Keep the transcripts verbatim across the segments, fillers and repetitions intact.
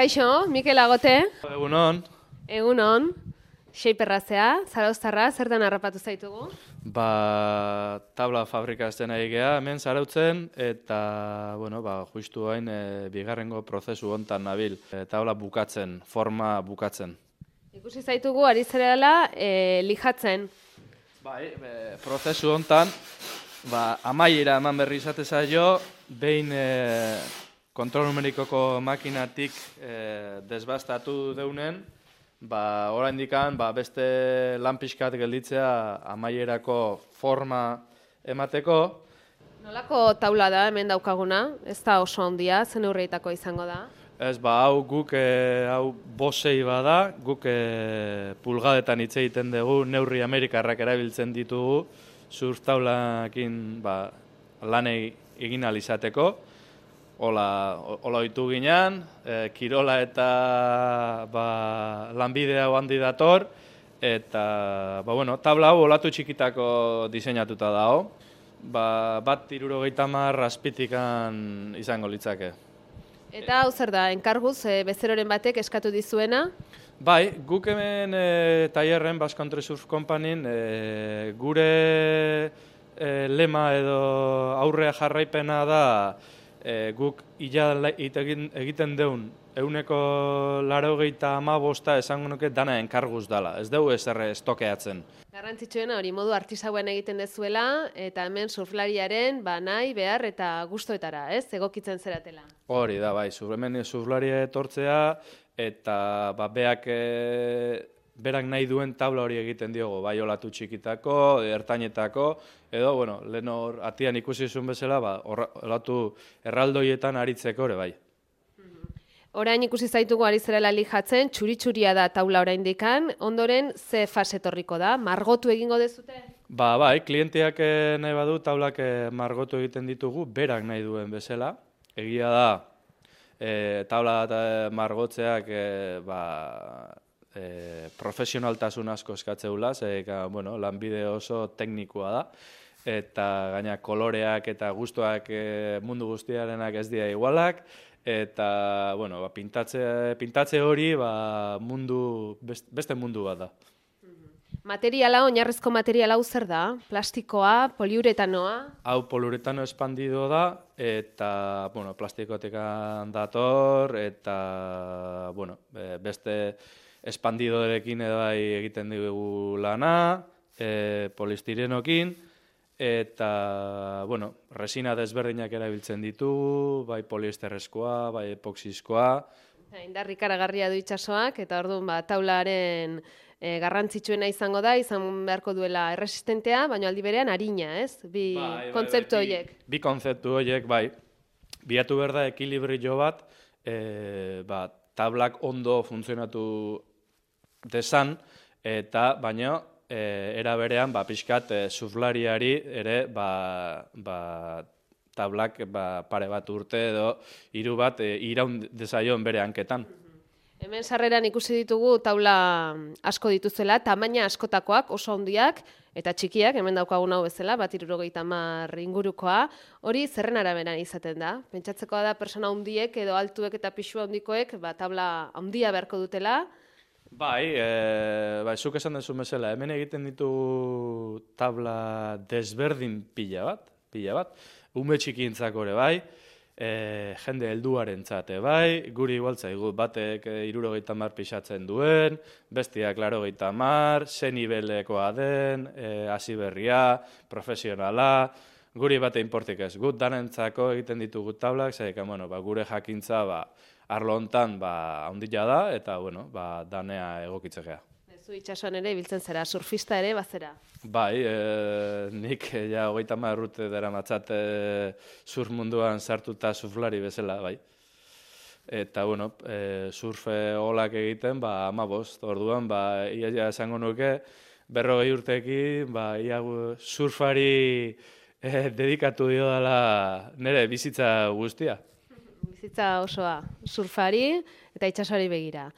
Kaixo, Mikel Agote. Egunon. Egunon. Xeiperrazea, Zarauztarra, zertan harrapatu zaitugu? Ba, tabla fabrikazten ari gea, hemen zarautzen, eta, bueno, ba, justu hain e, bigarrengo prozesu hontan nabil. E, tabla bukatzen, forma bukatzen. Ikusi zaitugu, ari zerela, e, lijatzen. Bai, e, prozesu hontan, ba, amaiera eman berri izate zaio, behin e, kontrol numerikoko makinatik e, desbastatu deunen, ba, oraindikan ba, beste lan pixkat gelditzea amaierako forma emateko. Nolako taula da hemen daukaguna? Ez da oso handia, zen neurrietako izango da? Ez, ba, hau guk, e, hau bosei bada, guk e, pulgadetan hitz egiten dugu, neurri amerikarrak erabiltzen ditugu, surf taulakin ba, lan egin ahal izateko. Ola, ola oitu ginean, e, kirola eta ba, lanbide hau handi dator, eta ba, bueno, tabla hau olatu txikitako diseinatuta dago, ba, bat hirurogeita hamar azpitikan izango litzake. Eta hau zer da, enkarguz, e, bezeroren batek eskatu dizuena? Bai, guk hemen e, tailerren Basque Country Surf Companyn e, gure e, lema edo aurrea jarraipena da, E, guk ila egiten deun euneko laurogeita hamabosta esango nuke dana enkarguz dala, ez dugu ezer estokeatzen. Garrantzitsuena hori modu artisauen egiten dezuela, eta hemen surflariaren ba, nahi, behar eta gustoetara, ez? Egokitzen zeratela. Hori da, bai, hemen surflaria etortzea, eta ba, beak e, berak nahi duen tabla hori egiten diogo, bai olatu txikitako, ertainetako, edo, bueno, lehen hor atian ikusi zuen bezala, ba, olatu erraldoietan aritzeko ere, bai. Orain ikusi zaitugu ari zerela lijatzen, txuri-txuria da taula oraindikan, ondoren ze fase etorriko da, margotu egingo dezute? Ba, bai, klienteak nahi badu taulak margotu egiten ditugu, berak nahi duen bezala. Egia da, e, taula eta margotzeak, e, ba, E, profesionaltasun asko eskatzeula, ze, bueno, lanbide oso teknikoa da, eta gaina koloreak eta gustuak e, mundu guztiarenak ez dira igualak, eta bueno, ba, pintatze, pintatze hori ba, mundu, beste mundu bat da. Materiala, oinarrezko materiala hau zer da? Plastikoa, poliuretanoa? Hau poliuretano espandido da, eta bueno, plastikotekan dator, eta bueno, beste espandidorekin edo egiten dugu lana, e, polistirenokin, eta, bueno, resina desberdinak erabiltzen ditugu, bai poliesterrezkoa, bai epoxizkoa. Indarrik ikaragarria du itsasoak, eta orduan ba, taularen e, garrantzitsuena izango da, izan beharko duela erresistentea, baina aldi berean arina, ez? Bi bai, kontzeptu horiek. Bi, bi kontzeptu horiek, bai. Biatu behar da ekilibrio bat, e, ba, tablak ondo funtzionatu desan, eta baina e, era berean ba, pixkat e, surflariari ere ba, ba, tablak ba, pare bat urte edo hiru bat e, iraun dezaion bere hanketan. Hemen sarreran ikusi ditugu taula asko dituzela, tamaina askotakoak, oso handiak eta txikiak, hemen daukagun hau bezala, bat hirurogeita hamar ingurukoa, hori zerren araberan izaten da. Pentsatzekoa da persona handiek edo altuek eta pixu handikoek ba, tabla handia beharko dutela. Bai, e, bai, zuk esan dezu bezala, hemen egiten ditu tabla desberdin pila bat, pila bat, ume txikintzako ere bai, e, jende helduaren txate bai, guri igualtzaigu batek hirurogeita hamar pixatzen duen, bestiak laurogeita hamar, ze nibelekoa den, e, hasi berria, profesionala, guri bate inportik ez, gut danentzako egiten ditugu tablak, zaikan, bueno, ba, gure jakintza, ba, arlo hontan ba, handia da, eta bueno, ba, danea egokitzekea. Zu itsasoan ere biltzen zera, surfista ere bazera? Bai, e, nik ja hogeita hamar urte daramatzat e, surf munduan sartuta surflari bezala, bai. Eta, bueno, e, surf olak egiten, ba, hamabost, orduan, ba, ia, ia esango nuke, berrogei urteekin, ba, ia surfari e, dedikatu dio dela nire bizitza guztia. Bizitza osoa, surfari eta itsasoari begira.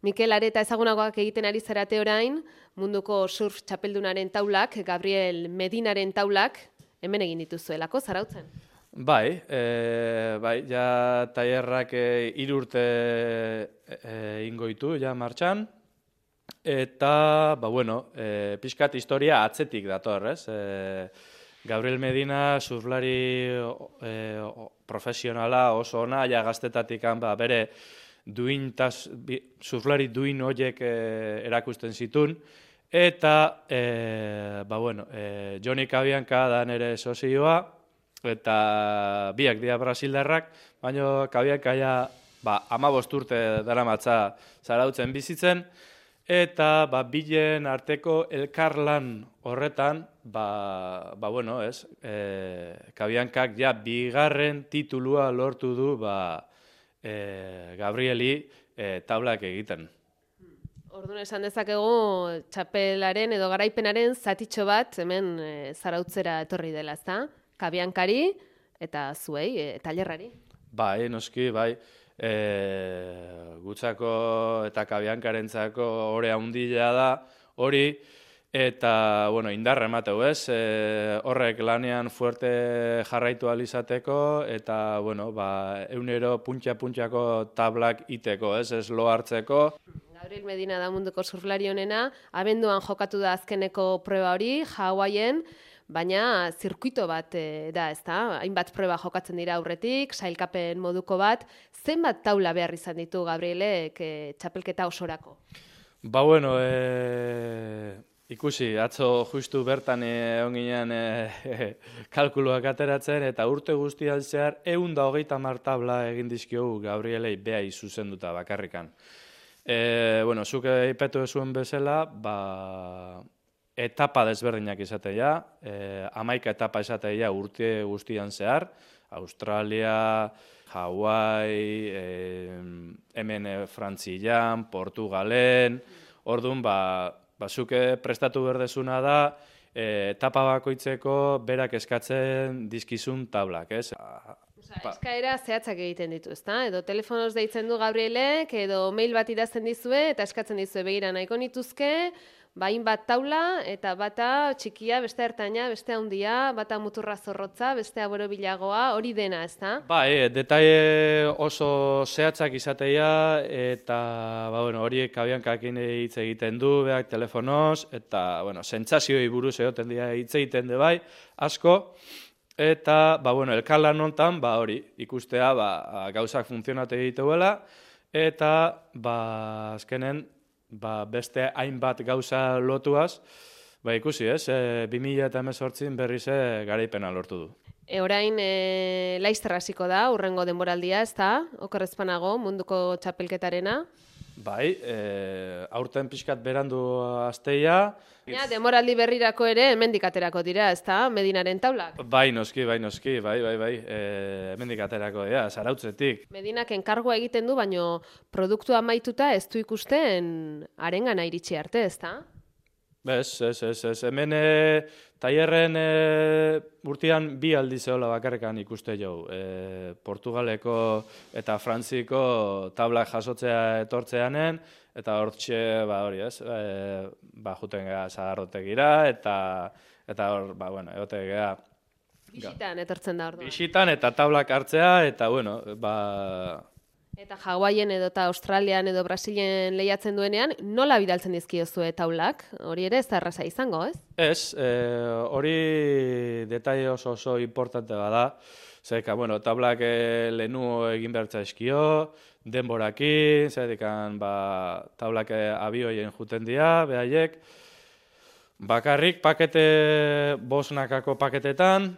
Mikel Areta ezagunagoak egiten ari zarate orain, munduko surf txapeldunaren taulak, Gabriel Medinaren taulak, hemen egin dituzuelako, Zarautzen? Bai, e, bai, ja tailerrak e, hiru urte e, ingoitu, ja martxan, eta, ba, bueno, e, pixkat historia atzetik dator, ez? E, Gabriel Medina surflari e, profesionala oso ona, ja gaztetatik ba, bere duin tas, bi, surflari duin horiek e, erakusten zitun, eta, e, ba, bueno, e, Johnny Cabianca da nere sozioa, eta biak dira brasildarrak, baina Cabianca ja ba, hamabost urte daramatza zarautzen bizitzen, eta ba, bilen arteko elkarlan horretan, ba, ba bueno, ez, e, Cabiancak ja bigarren titulua lortu du ba, e, Gabrieli e, tablak egiten. Orduan esan dezakegu txapelaren edo garaipenaren zatitxo bat hemen e, zarautzera etorri dela, ezta? Cabiancari eta zuei, e, tailerrari. Bai, noski, bai. E, gutzako eta Cabiancarentzako ore handia da hori, eta, bueno, indarra emateu, ez? E, horrek lanean fuerte jarraitu ahal izateko, eta, bueno, ba, eunero puntxa-puntxako tablak iteko, ez? Ez lo hartzeko. Gabriel Medina da munduko surflari honena, abenduan jokatu da azkeneko proba hori, Hawaiien, baina zirkuito bat e, da, ezta? Hainbat proba jokatzen dira aurretik, sailkapen moduko bat. Zenbat taula behar izan ditu Gabrielek e, txapelketa osorako? Ba, bueno, e, ikusi, atzo justu bertan egon ginen e, kalkuluak ateratzen, eta urte guztian zehar ehun eta hogeita hamar tabla egin dizkiogu Gabrielei behai zuzenduta bakarrikan. E, bueno, zuk aipetu zuen bezala, ba, etapa desberdinak izatea, eh, hamaika etapa izatea urte guztian zehar, Australia, Hawaii, eh, hemen Frantzian, Portugalen, orduan, ba, bazuke prestatu berdezuna da, eh, etapa bakoitzeko berak eskatzen dizkizun tablak, ez? Osa, eskaera zehatzak egiten ditu, ezta? Edo telefonoz deitzen du Gabrielek, edo mail bat idazten dizue, eta eskatzen dizue begira nahiko nituzke, bain bat taula, eta bata txikia, beste ertaina, beste handia, bata muturra zorrotza, beste borobilagoa, hori dena, ezta? Ba, e, detaile oso zehatzak izatea, eta ba, bueno, horiek Cabiancakin hitz egiten du, beak telefonoz, eta bueno, sentsazioi buruz egoten dira hitz egiten de bai, asko, eta ba, bueno, elkarlan hontan, ba, hori, ikustea ba, gauzak funtzionate egiteuela, eta ba, azkenen, ba, beste hainbat gauza lotuaz, ba, ikusi ez, e, bi mila hemezortzin berriz garaipena lortu du. E, orain, e, Laizter hasiko da, urrengo denboraldia, ez da, okerrezpanago, munduko txapelketarena. Bai, e, aurten pixkat berandu asteia. Ja, denboraldi berrirako ere hemendik aterako dira, ez da, Medinaren taulak? Bai, noski, bai, noski, bai, bai, bai, e, hemendik aterako dira, zarautzetik. Medinak enkargoa egiten du, baino produktua amaituta ez du ikusten arengana iritsi arte, ez da? Ez, ez, ez, ez. Hemen e, tailerren e, urtean bi aldiz eola bakarrekan ikuste jau. E, Portugaleko eta Frantziko tablak jasotzea etortzeanen, eta hortxe, ba hori ez, e, ba juten gara zaharrotegira, eta, eta hor, ba, bueno, egote gara. Bisitan etortzen da orduan. Bisitan eta tablak hartzea, eta, bueno, ba... Eta Hawaien edo eta Australian edo Brasilen lehiatzen duenean, nola bidaltzen dizkiozue taulak? Hori ere ez da erraza izango, ez? Ez, e, hori detaile oso oso importante bada. Zerika, bueno, tablak e, lehenu egin behartza eskio, denborakin, zerikan, ba, tablak abioien juten dira, behaiek. Bakarrik pakete, bosnakako paketetan,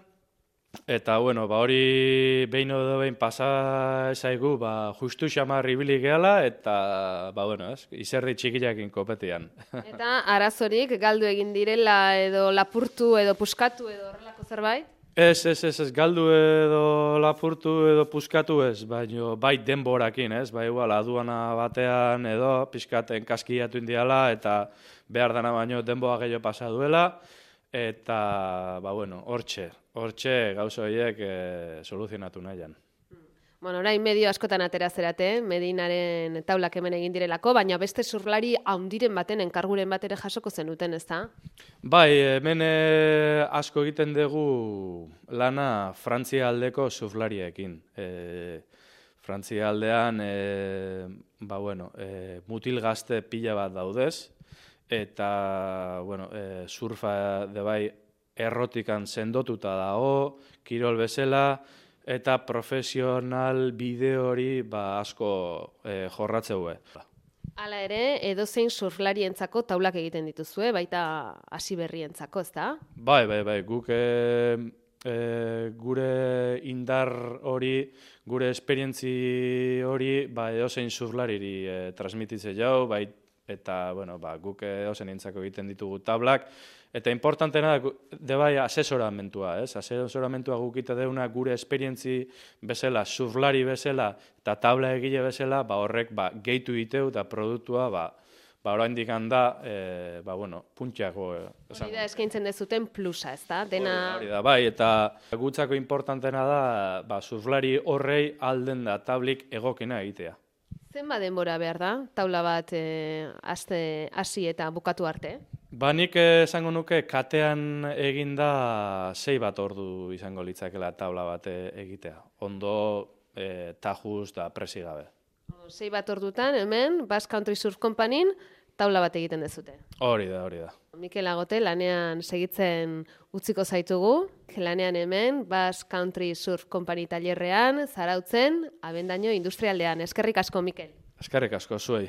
eta, bueno, ba, hori behin edo behin pasa ezaigu, ba, justu xamar ibili gehala, eta, ba, bueno, ez, izerdi txikiakin kopetian. Eta arazorik galdu egin direla edo lapurtu edo puskatu edo horrelako zerbait? Ez, ez, ez, ez, galdu edo lapurtu edo puskatu ez, baina bai denborakin, ez, bai igual aduana batean edo pixkaten kaskiatu indiala, eta behar dana baino denboa gehiago pasa duela, eta, ba, bueno, hortxe, hortxe gauza horiek e, soluzionatu nahian. Bueno, orain medio askotan atera zerate, Medinaren taulak hemen egin direlako, baina beste surflari haundiren baten enkarguren bat ere jasoko zenuten, ezta? Bai, hemen eh, asko egiten dugu lana Frantzia aldeko surflariekin. E, Frantzia aldean, e, ba, bueno, e, mutil gazte pila bat daudez, eta bueno, e, surfa de bai errotikan sendotuta dago, kirol bezala, eta profesional bideo hori ba, asko e, jorratzeue. Hala ere, edozein surflarientzako taulak egiten dituzue, baita hasi berrientzako, ezta? Bai, bai, bai, guk e, e, gure indar hori, gure esperientzi hori, ba, edozein surflariri e, transmititze jau, bai, eta bueno, ba, guk edozein entzako egiten ditugu tablak, eta importantena de bai asesoramentua, ez? Asesoramentua gukita deuna gure esperientzi bezala, surflari bezala eta tabla egile bezala, ba horrek ba gehitu diteu eta produktua ba ba oraindik handa eh ba bueno, puntxako Hori da eskaintzen dezuten plusa, ezta? Dena hori da, bai, eta gutzako importantena da ba surflari horrei alden da tablik egokena egitea. Zenba denbora behar da taula bat eh aste hasi eta bukatu arte? Ba, nik esango nuke katean eginda sei bat ordu izango litzakela taula bat egitea. Ondo, e, tajuz da presi gabe. Sei bat ordutan, hemen, Basque Country Surf Companyn taula bat egiten dezute. Hori da, hori da. Mikel Agote lanean segitzen utziko zaitugu. Lanean hemen, Basque Country Surf Company tailerrean, Zarautzen, Abendaño industrialdean. Eskerrik asko, Mikel. Eskerrik asko, zuei.